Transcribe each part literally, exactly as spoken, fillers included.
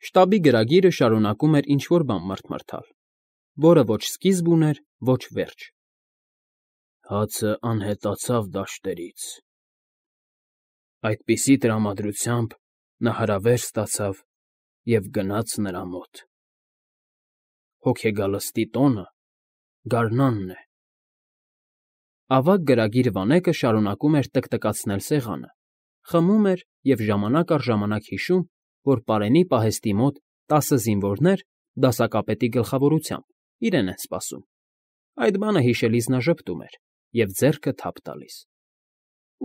Շտաբի գրագիրը շարունակում էր ինչ֊որ բան մռթմռթալ, որը ոչ սկիզբ ուներ, ոչ վերջ. Հացը անհետացավ դաշտերից… Այդպիսի տրամադրությամբ նա հրավեր ստացավ և գնաց նրա մոտ… Հոգեգալստի տոնը գարնանն է… Ավագ գրագիր Վանեկը շարունակում էր տկտկացնել սեղանը, խմում էր և ժամանակ առ ժամանակ հիշում, որ պարենի պահեստի մոտ տասը զինվորներ, դասակապետի գլխավորությամբ, իրեն են սպասում… Այդ բանը հիշելիս նա ժպտում էր և ձեռքը թափ տալիս…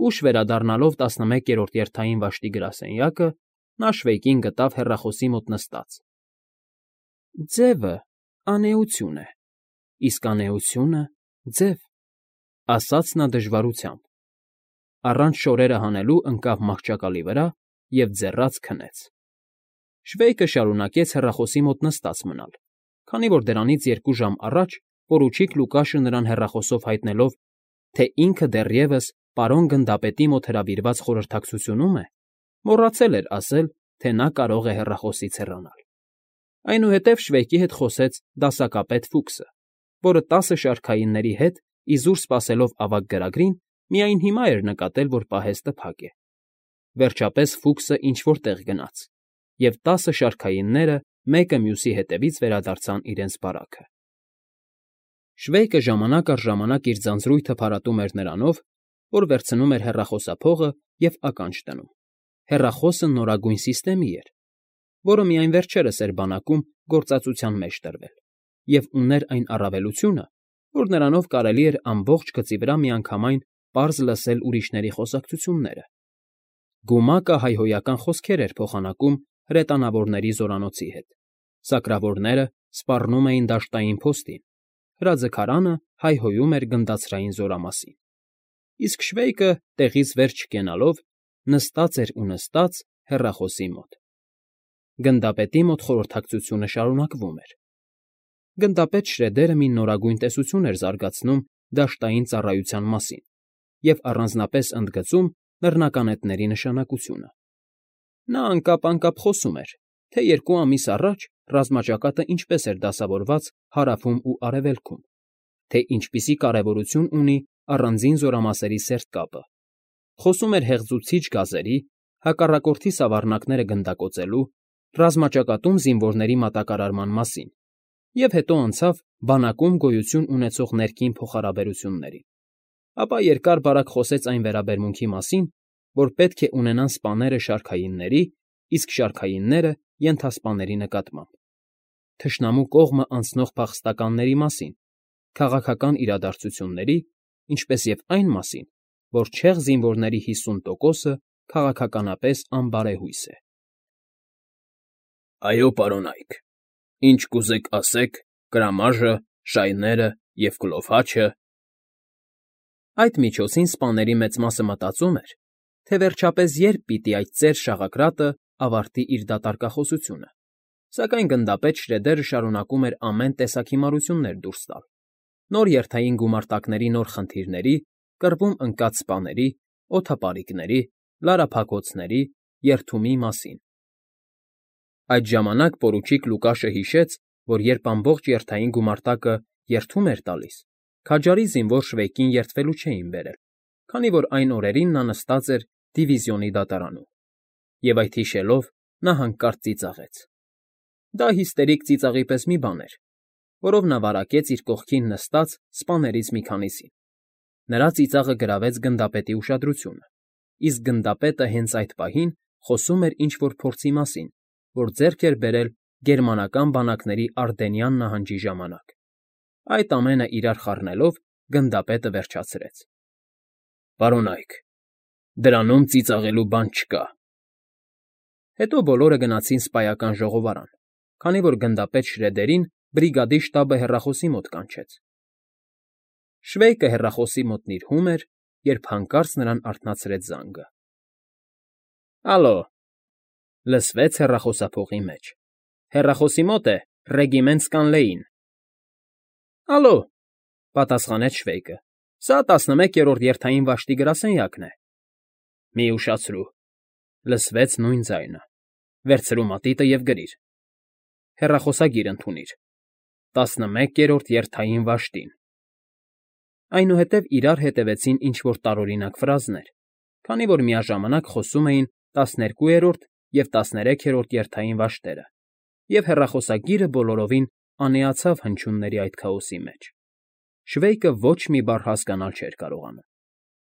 Ուշ վերադառնալով տասնմեկերորդ երթային վաշտի գրասենյակը, նա Շվեյկին գտավ հեռախոսի մոտ նստած… Ձևը անէություն է, իսկ անէությունը՝ ձև, ասաց նա դժվարությամբ, առանց շորերը հանելու ընկավ մահճակալի վրա և ձեռաց քնեց… Շվեյկը շարունակեց հեռախոսի մոտ նստած մնալ, քանի որ դրանից երկու ժամ առաջ պորուչիկ Լուկաշը նրան հեռախոսով հայտնելով, թե ինքը դեռևս պարոն գնդապետի մոտ հրավիրված խորհրդակցությունում է, մոռացել էր ասել, թե նա կարող է հեռախոսից հեռանալ… Այնուհետև Շվեյկի հետ խոսեց դասակապետ Ֆուքսը, որը տասը շարքայինների հետ իզուր սպասելով ավագ գրագրին, միայն հիմա էր նկատել, որ պահեստը փակ է… Վերջապես Ֆուքսը ինչ֊որ տեղ գնաց, և տասը շարքայինները մեկը մյուսի հետևից վերադարձան իրենց բարաքը… Շվեյկը ժամանակ առ ժամանակ իր ձանձրույթը փարատում էր նրանով, որ վերցնում էր հեռախոսափողը և ականջ դնում… Հեռախոսը նորագույն սիստեմի էր, որը միայն վերջերս էր բանակում գործածության մեջ տրվել, և ուներ այն առավելությունը, որ նրանով կարելի էր ամբողջ գծի վրա միանգամայն պարզ լսել ուրիշների խոսակցությունները… Գումակը հայհոյական խոսքեր էր փոխանակում հրետանավորների զորանոցի հետ, սակրավորները սպառնում էին դաշտային փոստին, հրաձգարանը հայհոյում էր գնդացրային զորամասին, իսկ Շվեյկը, տեղից վեր չկենալով, նստած էր ու նստած հեռախոսի մոտ… Գնդապետի մոտ խորհրդակցությունը շարունակվում էր… Գնդապետ Շրեդերը մի նորագույն տեսություն էր զարգացնում դաշտային ծառայության մասին և առանձնապես ընդգծում նռնականետների նշանակությունը… Նա անկապ֊անկապ խոսում էր, թե երկու ամիս առաջ ռազմաճակատը ինչպես էր դասավորված հարավում ու արևելքում, թե ինչպիսի կարևորություն ունի առանձին զորամասերի սերտ կապը, խոսում էր հեղձուցիչ գազերի, հակառակորդի սավառնակները գնդակոծելու, ռազմաճակատում զինվորների մատակարարման մասին և հետո անցավ բանակում գոյություն ունեցող ներքին փոխհարաբերություններին, ապա երկար֊բարակ խոսեց այն վերաբերմունքի մասին, որ պետք է ունենան սպաները շարքայինների, իսկ շարքայինները՝ ենթասպաների նկատմամբ, թշնամու կողմը անցնող փախստականների մասին, քաղաքական իրադարձությունների, ինչպես և այն մասին, որ չեղ զինվորների հիսուն տոկոսը քաղաքականապես անբարեհույս է… ֊ Այո, պարոնայք, ինչ կուզեք, ասեք, կրամաժը, շայները և կլոր հաչը… Այդ միջոցին սպաների մեծ մասը մտածում էր, թե վերջապես երբ պիտի այդ ծեր շաղակրատը ավարտի իր դատարկախոսությունը, սակայն գնդապետ Շրեդերը շարունակում էր ամեն տեսակ հիմարություններ դուրս տալ՝ նոր երթային գումարտակների նոր խնդիրների, կռվում ընկած սպաների, օդապարիկների, լարափակոցների, երթումի մասին… Այդ ժամանակ պորուչիկ Լուկաշը հիշեց, որ երբ ամբողջ երթային գումարտակը երթում էր տալիս, քաջարի զինվոր Շվեյկին երդվելու չէին բերել, քանի որ այն օրերին նա նստած էր դիվիզիոնի դատարանում, և այդ հիշելով նա հանկարծ ծիծաղեց… Դա հիստերիկ ծիծաղի պես մի բան էր, որով նա վարակեց իր կողքին նստած սպաներից մի քանիսին… Նրա ծիծաղը գրավեց գնդապետի ուշադրությունը, իսկ գնդապետը հենց այդ պահին խոսում էր ինչ֊որ փորձի մասին, որ ձեռք էր բերել գերմանական բանակների Արդենյան նահանջի ժամանակ… Այդ ամենը իրար խառնելով գնդապետը վերջացրեց. ֊ Պարոնայք, դրանում ծիծաղելու բան չկա… Հետո բոլորը գնացին սպայական ժողովարան, քանի որ գնդապետ Շրեդերին բրիգադի շտաբը հեռախոսի մոտ կանչեց… Շվեյկը հեռախոսի մոտ նիրհում էր, երբ հանկարծ նրան արթնացրեց զանգը… ֊ Ալո,֊ լսվեց հեռախոսափողի մեջ, հեռախոսի մոտ է Ռեգիմենտ Սկանլեին… ֊ Ալո,֊ պատասխանեց Շվեյկը,֊ սա տասնմեկերորդ երթային վաշտի գրասենյակն է… ֊ Մի՛ ուշացրու,֊ լսվեց նույն ձայնը,֊ վերցրու մատիտը և գրիր… հեռախոսագիր ընդունիր։ Տասնմեկերորդ երթային վաշտին։ Այնուհետև իրար հետևեցին ինչ֊որ տարօրինակ ֆրազներ, քանի որ միաժամանակ խոսում էին տասներկուերորդ և տասներեքերորդ երթային վաշտերը, և հեռախոսագիրը բոլորովին անիացավ հնչյունների այդ քաոսի մեջ։ Շվեյկը ոչ մի բառ հասկանալ չէր կարողանում։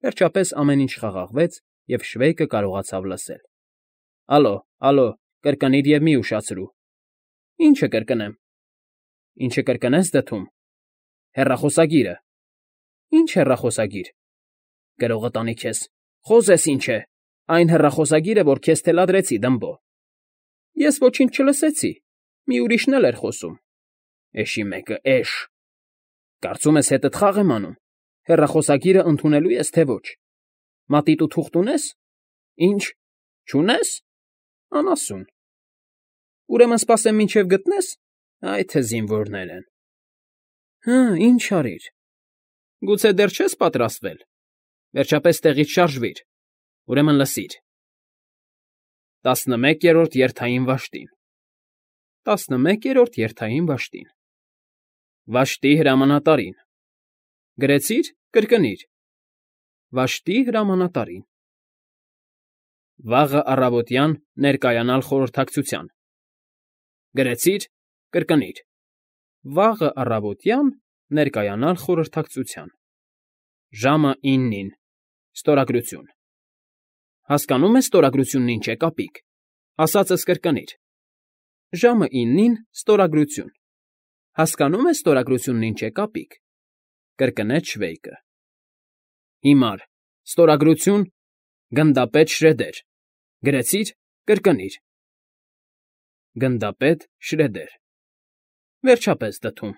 Վերջապես ամեն ինչ խաղաղվեց, և Շվեյկը կարողացավ լսել։ ֊ Ալո, ալո, կրկնիր և մի ուշացրու։ ֊ Ի՞նչը կրկնեմ։ ֊ Ինչը կրկնես դդում։ ֊ Հեռախոսագիրը։ ֊ Ի՞նչ հեռախոսագիր։ ֊ Գրողը տանի քեզ, խոզես ինչ է, այն հեռախոսագիրը, որ քեզ թելադրեցի, Դմբո։ ֊ Ես ոչինչ չլսեցի, մի ուրիշն էլ էր խոսում։ ֊ Էշի մեկը, էշ։ Կարծում ես հետդ խաղ եմ անում, հեռախոսագիրը ընդունելո՞ւ ես, թե ոչ։ Մատիտու թուղթ ունե՞ս։ Ի՞նչ, չունե՞ս։ Անասուն։ Ուրեմն սպասեմ մինչև գտնես։ Այ թե զինվորներ են։ Հը, ինչ արիր։ Գուցե դեռ չես պատրաստվել։ Վերջապես տեղից շարժվիր։ Ուրեմն լսիր։ Տասնմեկերորդ երթային վաշտին։ Տասնմեկերորդ երթային վաշտին։ Վաշտի հրամանատարին։ Գրեցի՞ր, կրկնիր։ Վաշտի հրամանատարին։ Վաղը առավոտյան ներկայանալ խորհրդակցության։ Գրեցի՞ր, կրկնիր։ Վաղը առավոտյան ներկայանալ խորհրդակցության։ Ժամը իննին։ Ստորագրություն։ Հասկանո՞ւմ ես ստորագրությունն ինչ է, կապիկ։ Ասածս կրկնիր։ Ժամը իննին ստորագրություն։ Հասկանո՞ւմ ես ստորագրությունն ինչ է, կապիկ։ Կրկնեց Շվեյկը։ Հիմար, ստորագրություն, գնդապետ Շրեդեր։ Գրեցի՞ր, կրկնիր։ Գնդապետ Շրեդեր։ Վերջապես դդում։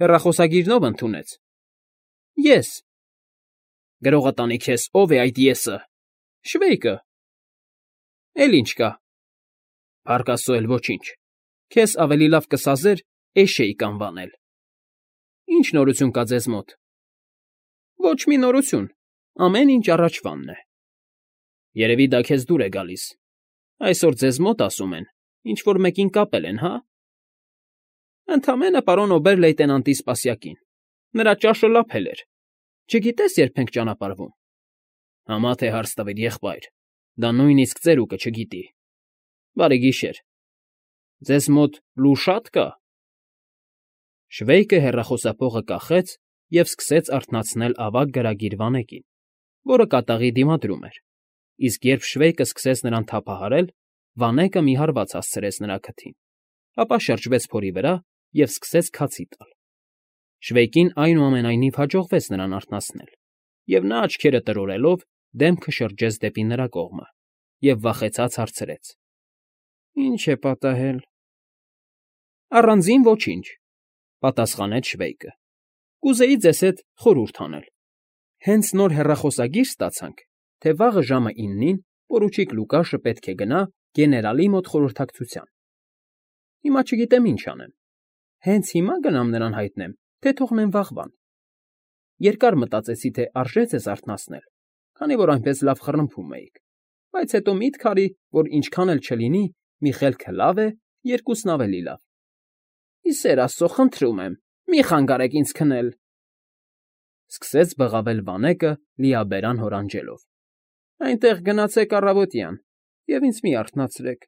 Հեռախոսագիրն ով ընդունեց։ Ես։ Գրողը տանի քեզ, ով է այդ եսը։ Շվեյկը։ Էլ ինչ կա։ Փառք Աստծո, էլ ոչինչ։ Քեզ ավելի լավ կսազեր էշեիք անվանել։ Ինչ նորություն կա ձեզ մոտ։ Ոչ մի նորություն, ամեն ինչ առաջվանն է։ Երևի դա քեզ դուր է գալիս։ Այսօր ձեզ մոտ, ասում են, ինչ֊որ մեկին կապել են, հա։ Ընդամենը պարոն օբեր֊լեյտենանտի սպասյակին։ Նրա ճաշը լափել էր։ Չգիտես երբ ենք ճանապարհվում։ Համա թե հարց տվիր, եղբայր, դա նույնիսկ ծերուկը չգիտի։ Բարի գիշեր։ Ձեզ մոտ լու շա՞տ կա։ Շվեյկը հեռախոսափողը կախեց և սկսեց արթնացնել ավագ գրագիր վանեկին, որը կատաղի դիմադրում էր, իսկ երբ Շվեյկը սկսեց նրան թափահարել, վանեկը մի հարված հասցրեց նրա քթին, ապա շրջվեց փորի վրա և սկսեց քացի տալ։ Շվեյկին այնուամենայնիվ հաջողվեց նրան արթնացնել, և նա աչքերը տրորելով դեմքը շրջեց դեպի նրա կողմը և վախեցած հարցրեց. Ի՞նչ է պատահել։ Առանձին ոչինչ, պատասխանեց Շվեյկը։ Կուզեի ձեզ հետ խորհուրդ անել։ Հենց նոր հեռախոսագիր ստացանք, թե վաղը ժամը իննին պորուչիկ Լուկաշը պետք է գնա գեներալի մոտ խորհրդակցության։ Հիմա չգիտեմ ինչ անեմ։ Հենց հիմա գնամ նրան հայտնեմ, թե թողնեմ վաղվան։ Երկար մտածեցի, թե արժե ձեզ արթնացնել, քանի որ այնպես լավ խռմփում էիք, բայց հետո միտք արի, որ ինչքան էլ չլինի, մի խելքը լավ է, երկուսն ավելի լավ։ Ի սեր Աստծո, խնդրում եմ, մի խանգարեք ինձ քնել։ Սկսեց բղավել վանեկը լիաբերան հորանջելով։ Այնտեղ գնացեք առավոտյան և ինձ մի արթնացրեք։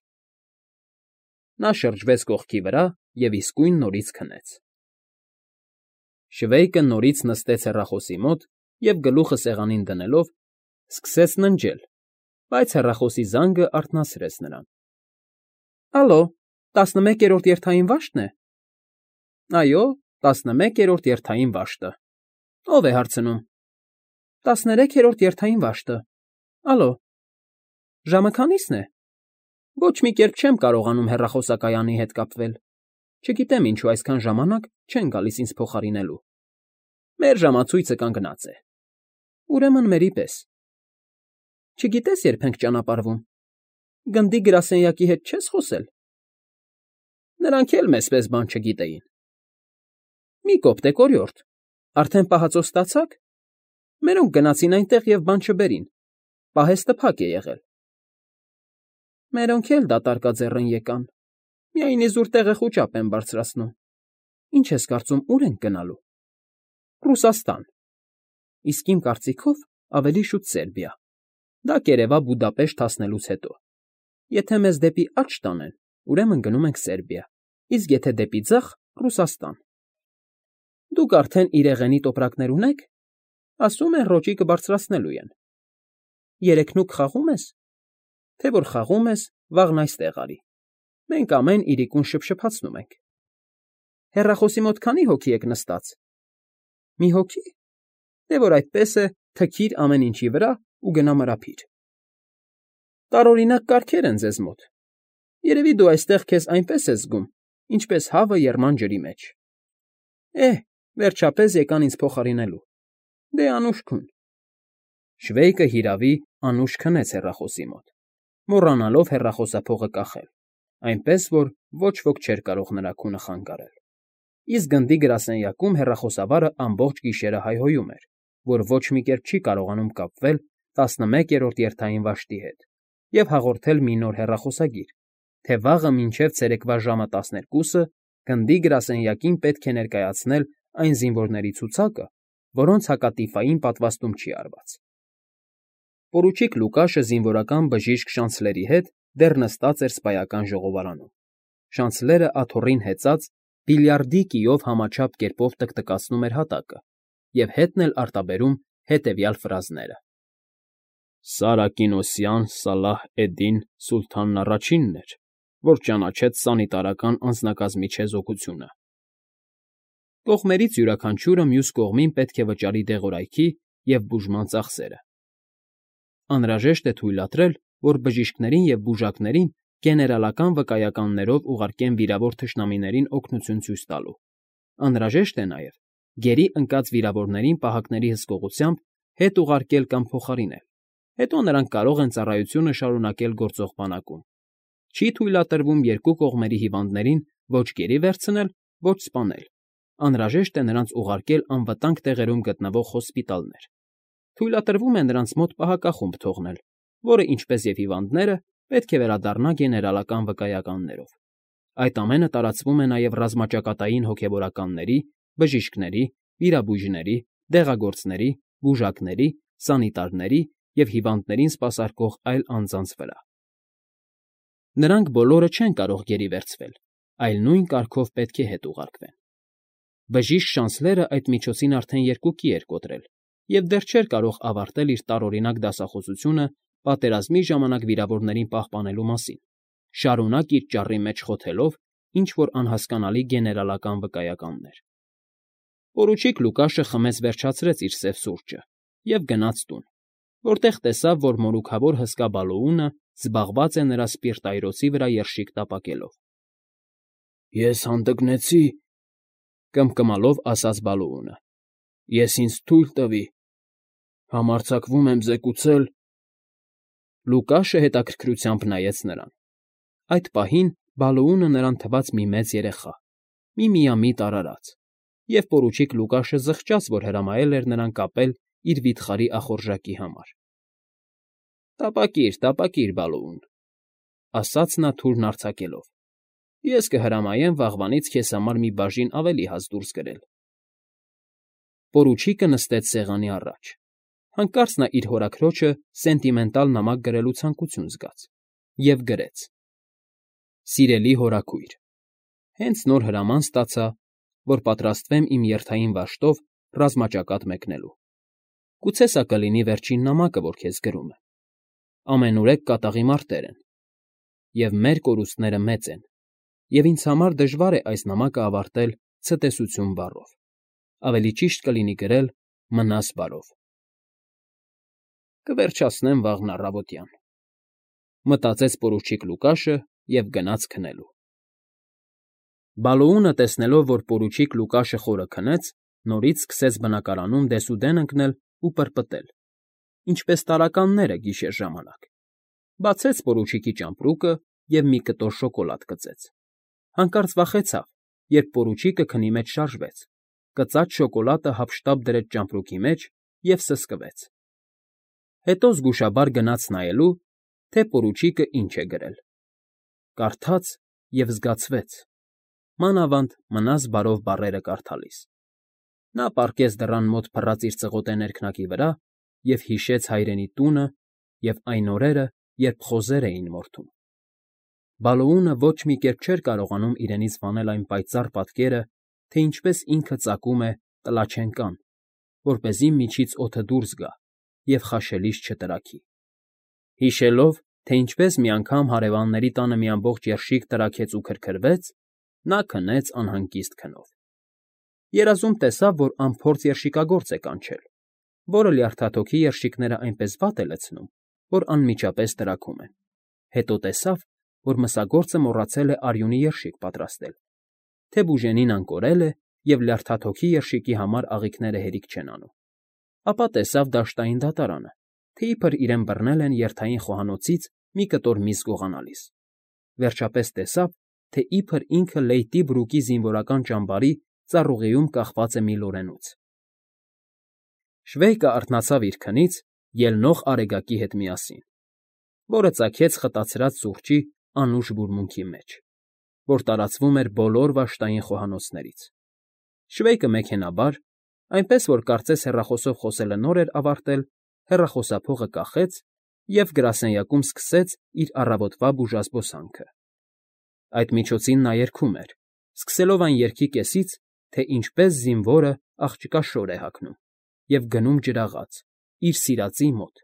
Նա շրջվեց կողքի վրա և իսկույն նորից քնեց։ Շվեյկը նորից նստեց հեռախոսի մոտ և գլուխը սեղանին դնելով սկսեց ննջել, բայց հեռախոսի զանգը արթնացրեց նրան։ Ալո, տասնմեկերորդ երթային վա՞շտն է։ Այո, տասնմեկերորդ երթային վաշտը։ Ո՞վ է հարցնում։ Տասներեքերորդ երթային վաշտը։ Ալո։ Ժամը քանի՞սն է։ Ոչ մի կերպ չեմ կարողանում հեռախոսակայանի հետ կապվել։ Չգիտեմ ինչու այսքան ժամանակ չեն գալիս ինձ փոխարինելու։ Մեր ժամացույցը կանգնած է։ Ուրեմն մերի պես։ Չգիտես երբ ենք ճանապարհվում։ Գնդի գրասենյակի հետ չես խոսել։ Նրանք էլ մեզպես բան չգիտեին։ Մի կոպտեք, օրիորդ, արդեն պահածո ստացա՞ք։ Մերոնք գնացին այնտեղ և բան չբերին։ Պահեստը փակ է եղել։ Մերոնք էլ դատարկաձեռն եկան։ Միայն իզուր տեղը խուճապ են բարձրացնում։ Ինչ ես կարծում, ուր ենք գնալու։ Ռուսաստան։ Իսկ իմ կարծիքով ավելի շուտ Սերբիա։ Դա կերևա Բուդապեշտ հասնելուց հետո։ Եթե մեզ դեպի աջ տանեն, ուրեմն գնում ենք Սերբիա, իսկ եթե դեպի ձախ՝ Ռուսաստան։ Դուք արդեն իրեղենի տոպրակներ ունե՞ք։ Ասում են ռոճի կբարձրացնելու են։ Երեքնուկ խաղում ես։ Թե որ խաղում ես, վաղն այստեղ արի։ Մենք ամեն իրիկուն շփշփացնում ենք։ Հեռախոսի մոտ քանի հոգի եք նստած։ Մի հոգի։ Դե որ այդպես է, թքիր ամեն ինչի վրա ու գնա մրափիր։ Տարօրինակ կարգեր են ձեզ մոտ։ Երևի դու այստեղ քեզ այնպես ես զգում, ինչպես հավը եռման ջրի մեջ։ Էհ, վերջապես եկան ինձ փոխարինելու։ Դե անուշ քուն։ Շվեյկը հիրավի անուշ քնեց հեռախոսի մոտ, մոռանալով հեռախոսափողը կախել, այնպես որ ոչ ոք չէր կարող նրա քունը խանգարել։ Իսկ գնդի գրասենյակում հեռախոսավարը ամբողջ գիշերը հայհոյում էր, որ ոչ մի կերպ չի կարողանում կապվել տասնմեկերորդ երթային վաշտի հետ և հաղորդել մի նոր հեռախոսագիր, թե վաղը մինչև ցերեկվա ժամը տասներկուսը գնդի գրասենյակին պետք է ներկայացնել այն զինվորների ցուցակը, որոնց հակատիֆային պատվաստում չի արված։ Պորուչիկ Լուկաշը զինվորական բժիշկ Շանցլերի հետ դեռ նստած էր սպայական ժողովարանում։ Շանցլերը աթոռին հեծած բիլիարդի կիով համաչափ կերպով տկտկացնում էր հատակը և հետն էլ արտաբերում հետևյալ ֆրազները. Սարակինոսյան Սալահ էդ֊Դին Սուլթանն առաջինն էր, որ ճանաչեց սանիտարական անձնակազմի չեզոքությունը։ Կողմերից յուրաքանչյուրը մյուս կողմին պետք է վճարի դեղորայքի և բուժման ծախսերը։ Անհրաժեշտ է թույլատրել, որ բժիշկներին և բուժակներին գեներալական վկայականներով ուղարկեն վիրավոր թշնամիներին օգնություն ցույց տալու։ Անհրաժեշտ է նաև գերի ընկած վիրավորներին պահակների հսկողությամբ հետ ուղարկել կամ փոխարինել, հետո նրանք կարող են ծառայությունը շարունակել գործող բանակում։ Չի թույլատրվում երկու կողմերի հիվանդներին ոչ գերի վերցնել, ոչ սպանել։ Անհրաժեշտ է նրանց ուղարկել անվտանգ տեղերում գտնվող հոսպիտալներ։ Թույլատրվում է նրանց մոտ պահակախումբ թողնել, որը, ինչպես և հիվանդները, պետք է վերադառնա գեներալական վկայականներով։ Այդ ամենը տարածվում է նաև ռազմաճակատային հոգևորականների, բժիշկների, վիրաբույժների, դեղագործների, բուժակների, սանիտարների և հիվանդներին սպասարկող այլ անձանց վրա։ Նրանք բոլորը չեն կարող գերի վերցվել, այլ նույն կարգով պետք է հետ ուղարկվեն։ Բժիշկ Շանցլերը այդ միջոցին արդեն երկուքի էր կոտրել և դեռ չէր կարող ավարտել իր տարօրինակ դասախոսությունը պատերազմի ժամանակ վիրավորներին պահպանելու մասին, շարունակ իր ճառի մեջ խոթելով ինչ֊որ անհասկանալի գեներալական վկայականներ։ Պորուչիկ Լուկաշը խմեց վերջացրեց իր սև սուրճը և գնաց տուն, որտեղ տեսավ, որ մորուքավոր հսկա Բալոունը զբաղված է նրա սպիրտայրոցի վրա երշիկ տապակելով։ Ես հանդգնեցի,֊ կմկմալով ասաց Բալոունը։ Ես ինձ թույլ տվի։ Համարձակվում եմ զեկուցել… Լուկաշը հետաքրքրությամբ նայեց նրան։ Այդ պահին Բալոունը նրան թվաց մի մեծ երեխա, մի միամիտ արարած, և պորուչիկ Լուկաշը զղջաց, որ հրամայել էր նրան կապել իր վիթխարի ախորժակի համար։ Տապակիր, տապակիր, Բալոուն,֊ ասաց նա թուրն արձակելով։ Ես կհրամայեմ վաղվանից քեզ համար մի բաժին ավելի հաց դուրս գրել։ Պորուչիկը նստեց սեղանի առաջ։ Հանկարծ նա իր հորաքրոջը սենտիմենտալ նամակ գրելու ցանկություն զգաց և գրեց. Սիրելի հորաքույր, հենց նոր հրաման ստացա, որ պատրաստվեմ իմ երթային վաշտով ռազմաճակատ մեկնելու։ Գուցե սա կլինի վերջին նամակը, որ քեզ գրում եմ։ Ամենուրեք կատաղի մարտեր են, և մեր կորուստները մեծ են, և ինձ համար դժվար է այս նամակը ավարտել ցտեսություն բառով։ Ավելի ճիշտ կլինի գրել մնաս բարով։ Կվերջացնեմ վաղն առավոտյան, մտածեց պորուչիկ Լուկաշը և գնաց քնելու։ Բալոունը, տեսնելով, որ պորուչիկ Լուկաշը խորը քնեց, նորից սկսեց բնակարանում դեսուդեն ընկնել ու պրպտել, ինչպես տարականները գիշեր ժամանակ։ Բացեց պորուչիկի ճամպրուկը և մի կտոր շոկոլադ կծեց։ Հանկարծ վախեցավ, երբ պորուչիկը քնի մեջ շարժվեց, կծած շոկոլադը հափշտապ դրեց ճամպրուկի մեջ և սսկվեց։ Հետո զգուշաբար գնաց նայելու, թե պորուչիկը ինչ է գրել։ Կարդաց և զգացվեց, մանավանդ մնաս բարով բառերը կարդալիս։ Նա պառկեց դռան մոտ փռած իր ծղոտե ներքնակի վրա և հիշեց հայրենի տունը և այն օրերը, երբ խոզեր էին մորթում։ Բալոունը ոչ մի կերպ չէր կարողանում իրենից վանել այն պայծառ պատկերը, թե ինչպես ինքը ծակում է տլաչենկան, որպեսզի միջից օդը դուրս գա և խաշելիս չտրաքի։ Հիշելով, թե ինչպես մի անգամ հարևանների տանը մի ամբողջ երշիկ տրաքեց ու քրքրվեց, նա քնեց անհանգիստ քնով։ Երազում տեսավ, որ անփորձ երշիկագործ է կանչել, որը լյարդաթոքի երշիկները այնպես վատ է լցնում, որ անմիջապես տրաքում են։ Հետո տեսավ, որ մսագործը մոռացել է արյունի երշիկ պատրաստել, թե բուժենին անկորել է և լյարդաթոքի երշիկի համար աղիքները հերիք չեն անում։ Ապա տեսավ դաշտային դատարանը, թե իբր իրեն բռնել են երթային խոհանոցից մի կտոր միս գողանալիս։ Վերջապես տեսավ, թե իբր ինքը Լեյտի Բրուկի զինվորական ճամբարի ծառուղիում կախված է մի լորենուց։ Շվեյկը արթնացավ իր քնից ելնող արեգակի հետ միասին, որը ծագեց խտացրած սուրճի անուշ բուրմունքի մեջ, որ տարածվում էր բոլոր վաշտային խոհանոցներից։ Շվեյկը մեքենայաբար, այնպես որ կարծես հեռախոսով խոսելը նոր էր ավարտել, հեռախոսափողը կախեց և գրասենյակում սկսեց իր առավոտվա բուժազբոսանքը։ Այդ միջոցին նա երգում էր, սկսելով այն երգի կեսից, թե ինչպես զինվորը աղջկա շոր է հագնում և գնում ջրաղաց, իր սիրածի մոտ,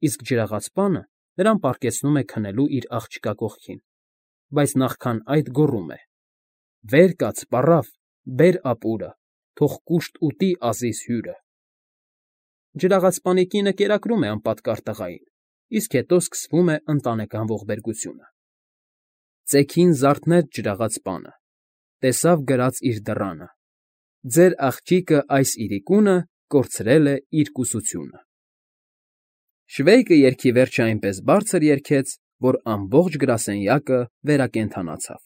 իսկ ջրաղացպանը նրան պառկեցնում է քնելու իր աղջկա կողքին, բայց նախքան այդ գոռում է. «Վեր կաց, պառավ, բեր ապուրը, թող կուշտ ուտի Ազիզ հյուրը»։ Ջրաղացպանի կինը կերակրում է անպատկառ տղային, իսկ հետո սկսվում է ընտանեկան ողբերգությունը։ Ծեքին զարթնեց ջրաղացպանը, տեսավ գրած իր դռանը. «Ձեր աղջիկը այս իրիկունը կորցրել է իր կուսությունը»։ Շվեյկը երգի վերջը այնպես բարձր երգեց, որ ամբողջ գրասենյակը վերակենդանացավ։